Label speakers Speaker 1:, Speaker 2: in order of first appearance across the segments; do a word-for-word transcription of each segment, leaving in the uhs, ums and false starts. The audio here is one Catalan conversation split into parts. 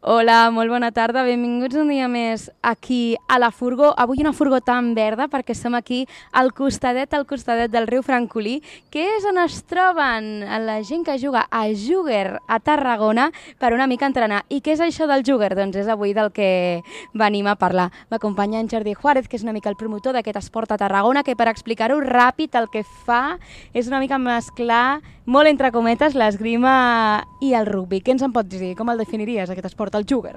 Speaker 1: Hola, molt bona tarda, benvinguts un dia més aquí a la furgó. Avui una furgó tan verda perquè som aquí al costadet, al costadet del riu Francolí, que és on es troben la gent que juga a Júguer a Tarragona per una mica entrenar. I què és això del Júguer? Doncs és avui del que venim a parlar. M'acompanya en Jordi Juárez, que és una mica el promotor d'aquest esport a Tarragona, que per explicar-ho ràpid el que fa és una mica mesclar, molt entre cometes, l'esgrima i el rugby. Què ens en pots dir? Com el definiries, aquest esport? El Júguer.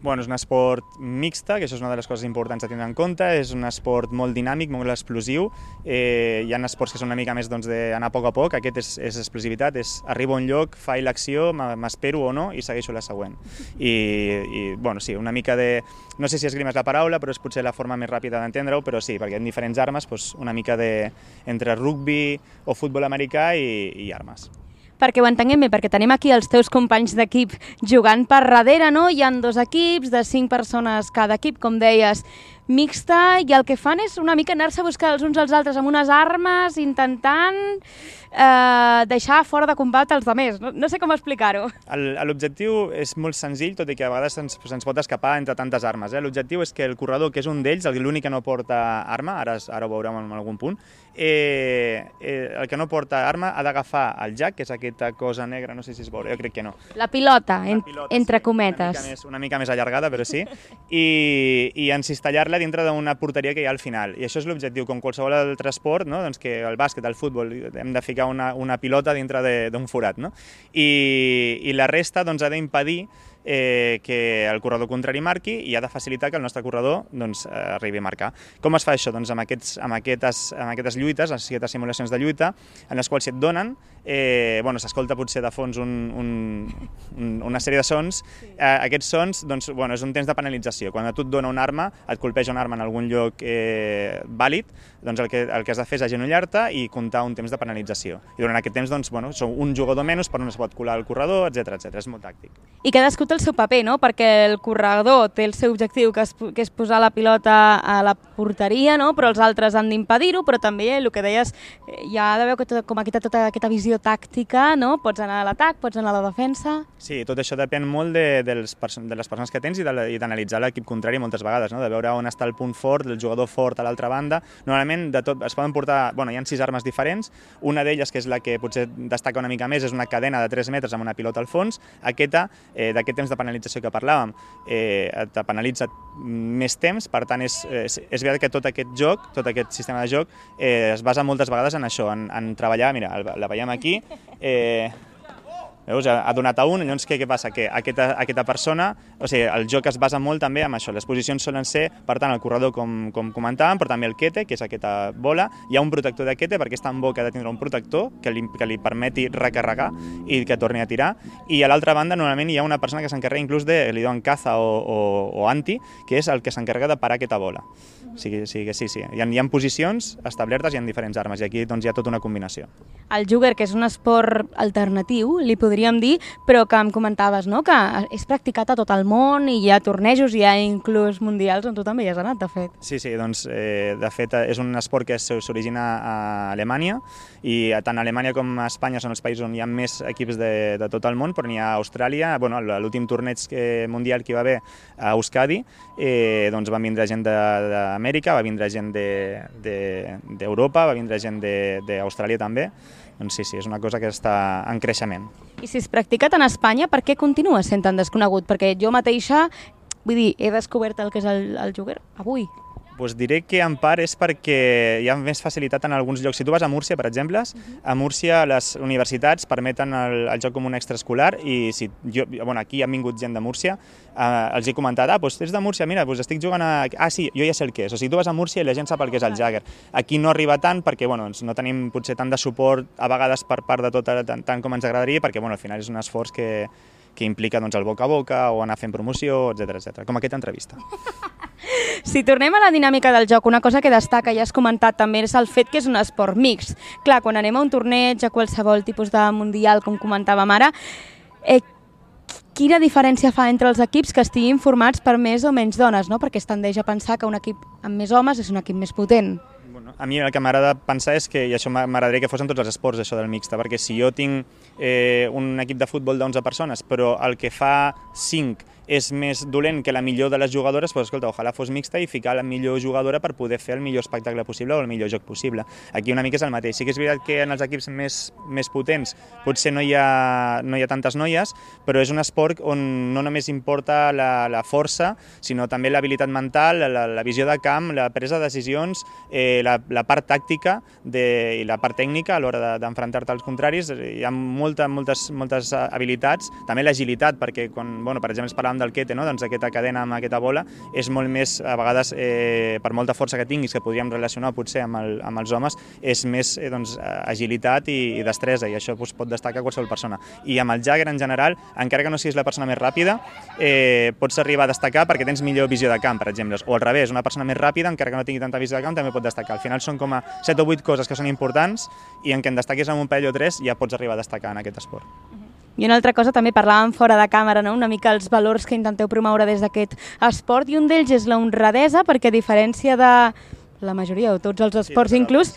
Speaker 2: Bueno, és un esport mixta, que això és una de les coses importants a tindre en compte, és un esport molt dinàmic, molt explosiu, eh, hi ha esports que són una mica més doncs, d'anar a poc a poc, aquest és, és explosivitat, és arribo a un lloc, faig l'acció, m'espero o no i segueixo la següent. I, i bueno, sí, una mica de... No sé si esgrima és la paraula, però és potser la forma més ràpida d'entendre-ho, però sí, perquè en diferents armes, doncs, una mica de... entre rugby o futbol americà i, i armes.
Speaker 1: Perquè ho entenguem bé, perquè tenim aquí els teus companys d'equip jugant per darrere, no? Hi ha dos equips de cinc persones cada equip, com deies, mixta, i el que fan és una mica anar-se a buscar els uns als altres amb unes armes, intentant eh, deixar fora de combat els altres. No, no sé com explicar-ho.
Speaker 2: L'objectiu és molt senzill, tot i que a vegades se'ns se pot escapar entre tantes armes. Eh? L'objectiu és que el corredor, que és un d'ells, l'únic que no porta arma, ara, ara ho veurem en algun punt, eh, eh, el que no porta arma ha d'agafar el jack, que és aquesta cosa negra, no sé si es veurà, jo crec que no.
Speaker 1: La pilota, en,
Speaker 2: pilota
Speaker 1: entre
Speaker 2: sí,
Speaker 1: cometes.
Speaker 2: Una mica, més, una mica més allargada, però sí, i, i encistallar-la dintre d'una porteria que hi ha al final. I això és l'objectiu, com qualsevol altre esport, no? Doncs que el bàsquet, el futbol, hem de ficar una, una pilota dintre d'un forat. No? I, I la resta doncs, ha d'impedir eh, que el corredor contrari marqui i ha de facilitar que el nostre corredor doncs, arribi a marcar. Com es fa això? Doncs amb, aquests, amb, aquestes, amb aquestes lluites, les aquestes simulacions de lluita, en les quals si et donen, eh, bueno, s'escolta potser de fons un, un, un, una sèrie de sons. Eh, aquests sons doncs, bueno, és un temps de penalització. Quan a tu et dona una arma, et colpeja una arma en algun lloc eh, vàlid, doncs el que, el que has de fer és agenollar-te i comptar un temps de penalització. I durant aquest temps, doncs, bueno, són un jugador menys per on es pot colar el corredor, etcètera etcètera. És molt tàctic.
Speaker 1: I cadascú té el seu paper, no? Perquè el corredor té el seu objectiu, que és, que és posar la pilota a la porteria, no? Però els altres han d'impedir-ho, però també el que deies, hi ha d'haver com aquesta, tota aquesta visió tàctica, no? Pots anar a l'atac, pots anar a la defensa...
Speaker 2: Sí, tot això depèn molt de, de, les, de les persones que tens i d'analitzar l'equip contrari moltes vegades, no? De veure on està el punt fort, el jugador fort a l'altra banda. Normalment de tot, es poden portar, bueno, hi ha sis armes diferents, una d'elles, que és la que potser destaca una mica més, és una cadena de tres metres amb una pilota al fons. Aquesta, eh, d'aquest temps de penalització que parlàvem, eh, te penalitza més temps, per tant és, és, és veritat que tot aquest joc, tot aquest sistema de joc eh, es basa moltes vegades en això, en, en treballar, mira, la veiem aquí, eh, veus, ha donat a un, llavors què, què passa? Que aquesta, aquesta persona, o sigui, el joc es basa molt també en això, les posicions solen ser, per tant, el corredor, com, com comentàvem, però també el quete, que és aquesta bola, hi ha un protector de quete, perquè és tan bo que ha de tindre un protector que li, que li permeti recarregar i que torni a tirar, i a l'altra banda, normalment hi ha una persona que s'encarrega inclús de, li diuen caza o, o, o anti, que és el que s'encarrega de parar aquesta bola. O sigui, o sigui, sí, sí, hi ha, hi ha posicions establertes i hi ha diferents armes, i aquí doncs, hi ha tota una combinació.
Speaker 1: El Júguer, que és un esport alternatiu, li podríem dir, però que em comentaves, no?, que és practicat a tot el món i hi ha tornejos, hi ha inclús mundials on tu també hi has anat, de fet.
Speaker 2: Sí, sí, doncs, eh, de fet, és un esport que s'origina a Alemanya i tant a Alemanya com a Espanya són els països on hi ha més equips de, de tot el món, però n'hi ha a Austràlia, bueno, l'últim torneig mundial que hi va haver a Euskadi, eh, doncs van vindre gent d'Amèrica, va vindre gent d'Europa, de, de, va vindre gent d'Austràlia també. Doncs sí, sí, és una cosa que està en creixement.
Speaker 1: I si es practica tant a Espanya, per què continua sent tan desconegut? Perquè jo mateixa, vull dir, he descobert el que és el, el Júguer avui.
Speaker 2: Pues diré que en part és perquè hi ha més facilitat en alguns llocs. Si tu vas a Múrcia, per exemple, a Múrcia les universitats permeten el, el joc com un extraescolar i si jo, bueno, aquí han vingut gent de Múrcia, eh, els he comentat, ah, doncs ets de Múrcia, mira, doncs estic jugant a... Ah, sí, jo ja sé el que és. O sigui, tu vas a Múrcia i la gent sap el que és el Jagger. Aquí no arriba tant perquè, bueno, no tenim potser tant de suport a vegades per part de tot, tant, tant com ens agradaria, perquè, bueno, al final és un esforç que, que implica doncs, el boca a boca o anar fent promoció, etcètera etcètera, com aquesta entrevista.
Speaker 1: Si tornem a la dinàmica del joc, una cosa que destaca, ja has comentat també, és el fet que és un esport mixt. Clar, quan anem a un torneig, a qualsevol tipus de mundial, com comentàvem ara, eh, quina diferència fa entre els equips que estiguin formats per més o menys dones, no? Perquè es tendeix a pensar que un equip amb més homes és un equip més potent.
Speaker 2: Bueno, a mi el que m'agrada pensar és que, i això m'agradaria que fos en tots els esports, això del mixta, perquè si jo tinc eh, un equip de futbol d'onze persones, però el que fa cinc és més dolent que la millor de les jugadores, doncs escolta, ojalà fos mixta i ficar la millor jugadora per poder fer el millor espectacle possible o el millor joc possible. Aquí una mica és el mateix. Sí que és veritat que en els equips més, més potents potser no hi, ha, no hi ha tantes noies, però és un esport on no només importa la, la força, sinó també l'habilitat mental, la, la visió de camp, la presa de decisions, eh, la, la part tàctica de, i la part tècnica a l'hora d'enfrontar-te als contraris. Hi ha molta, moltes, moltes habilitats, també l'agilitat, perquè quan, bueno, per exemple, parlàvem del quete, no? Doncs aquesta cadena amb aquesta bola és molt més, a vegades, eh, per molta força que tinguis, que podríem relacionar potser amb, el, amb els homes, és més eh, doncs, agilitat i, i destresa, i això doncs, pot destacar qualsevol persona. I amb el Jagger, en general, encara que no siguis la persona més ràpida, eh, pots arribar a destacar perquè tens millor visió de camp, per exemple. O al revés, una persona més ràpida, encara que no tingui tanta visió de camp, també pot destacar. Al final són com a set o vuit coses que són importants i en què en destaquis amb un parell o tres ja pots arribar a destacar en aquest esport.
Speaker 1: I una altra cosa, també parlàvem fora de càmera, no? Una mica els valors que intenteu promoure des d'aquest esport, i un d'ells és la honradesa, perquè a diferència de la majoria o tots els esports sí, inclús,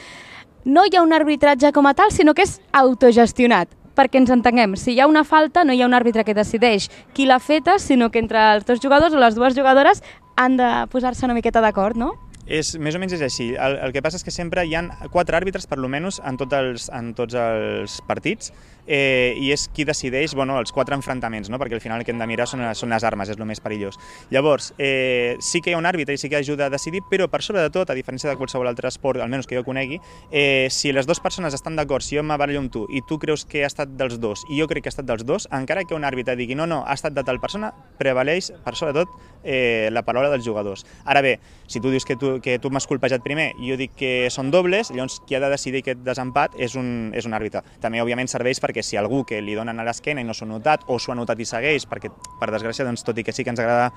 Speaker 1: no hi ha un arbitratge com a tal, sinó que és autogestionat. Perquè ens entenguem, si hi ha una falta no hi ha un àrbitre que decideix qui l'ha feta, sinó que entre els dos jugadors o les dues jugadores han de posar-se una miqueta d'acord, no?
Speaker 2: És, més o menys és així. El, el que passa és que sempre hi ha quatre àrbitres, per almenys, en, tot els, en tots els partits, eh, i és qui decideix bueno, els quatre enfrontaments, no? Perquè al final el que hem de mirar són, són les armes, és el més perillós. Llavors, eh, sí que hi ha un àrbitre i sí que ajuda a decidir, però per sobre de tot, a diferència de qualsevol altre esport, almenys que jo conegui, eh, si les dues persones estan d'acord, si jo m'abarallo amb tu i tu creus que ha estat dels dos i jo crec que ha estat dels dos, encara que un àrbitre digui no, no, ha estat de tal persona, prevaleix per sobre de tot eh, la paraula dels jugadors. Ara bé, si tu dius que tu que tu m'has colpejat primer i jo dic que són dobles, llavors qui ha de decidir aquest desempat és un, és un àrbitre. També, òbviament, serveix perquè si algú que li donen a l'esquena i no s'ho ha notat, o s'ho ha notat i segueix, perquè, per desgràcia, doncs, tot i que sí que ens agrada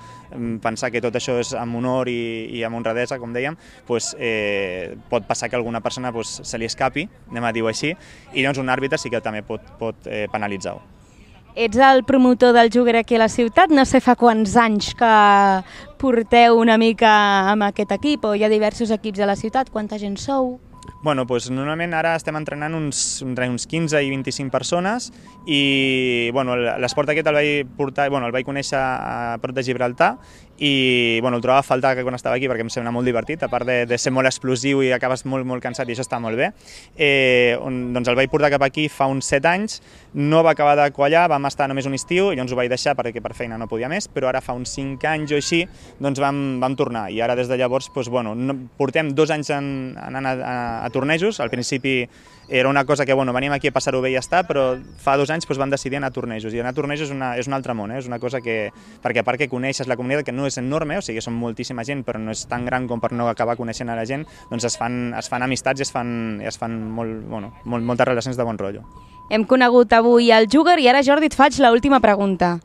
Speaker 2: pensar que tot això és amb honor i, i amb honradesa, com dèiem, doncs, eh, pot passar que alguna persona doncs, se li escapi, anem a dir-ho així, i llavors un àrbitre sí que també pot, pot eh, penalitzar-ho.
Speaker 1: Ets el promotor del Júguer aquí a la ciutat, no sé fa quants anys que porteu una mica amb aquest equip, o hi ha diversos equips a la ciutat, quanta gent sou?
Speaker 2: Bueno, doncs normalment ara estem entrenant uns, entre uns quinze i vint-i-cinc persones i bueno, l'esport aquest el vaig portar, bueno, el vaig conèixer a prop de Gibraltar i bueno, el trobava a faltar quan estava aquí perquè em sembla molt divertit, a part de, de ser molt explosiu i acabes molt, molt cansat i això està molt bé. Eh, on, doncs el vaig portar cap aquí fa uns set anys, no va acabar de quallar, vam estar només un estiu i llavors ho vaig deixar perquè per feina no podia més, però ara fa uns cinc anys o així doncs vam, vam tornar i ara des de llavors doncs, bueno, no, portem dos anys en, anant a, a, a tornejos. Al principi era una cosa que bueno, veníem aquí a passar-ho bé i ja està, però fa dos anys doncs, vam decidir anar a tornejos i anar a tornejos és, una, és un altre món, eh? És una cosa que, perquè a part que coneixes la comunitat que no és enorme, o sigui, són moltíssima gent però no és tan gran com per no acabar coneixent a la gent, doncs es fan, es fan amistats i es fan, i es fan molt, bueno, molt, moltes relacions de bon rotllo.
Speaker 1: Hem conegut avui el Júguer i ara, Jordi, et faig l'última pregunta.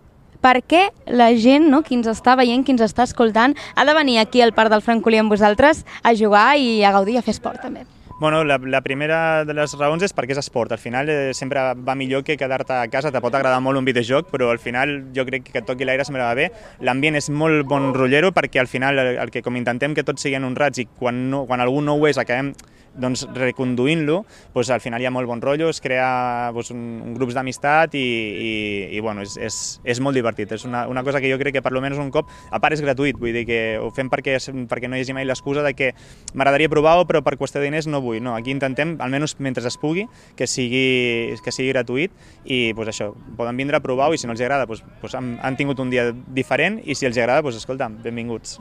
Speaker 1: Per què la gent, no, qui ens està veient, qui ens està escoltant, ha de venir aquí al Parc del Francolí amb vosaltres a jugar i a gaudir i a fer esport també?
Speaker 2: Bueno, la, la primera de les raons és perquè és esport. Al final eh, sempre va millor que quedar-te a casa. Te pot agradar molt un videojoc, però al final jo crec que et toqui l'aire sempre va bé. L'ambient és molt bon rotllero perquè al final el, el que com intentem que tots siguin honrats i quan, no, quan algú no ho és acabem doncs, reconduint-lo, doncs, al final hi ha molt bon rotllo, es crea doncs, un, un grups d'amistat i, i, i bueno, és, és, és molt divertit. És una, una cosa que jo crec que per almenys un cop, a part és gratuït, vull dir que ho fem perquè, perquè no hi hagi mai l'excusa de que m'agradaria provar-ho però per qüestió de diners no vull. No, aquí intentem, almenys mentre es pugui, que sigui, que sigui gratuït i doncs, això, poden vindre a provar-ho i si no els agrada doncs, doncs, han, han tingut un dia diferent i si els agrada, doncs, escolta, benvinguts.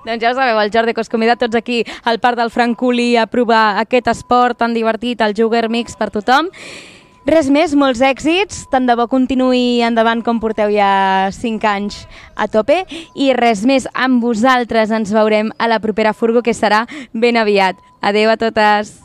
Speaker 1: Doncs ja ho sabeu, el Jordi, que us convida tots aquí al Parc del Francolí a provar aquest esport tan divertit, el Júguer Mix per tothom. Res més, molts èxits, tant de bo continuï endavant com porteu ja cinc anys a tope i res més, amb vosaltres ens veurem a la propera Furgo, que serà ben aviat. Adéu a totes!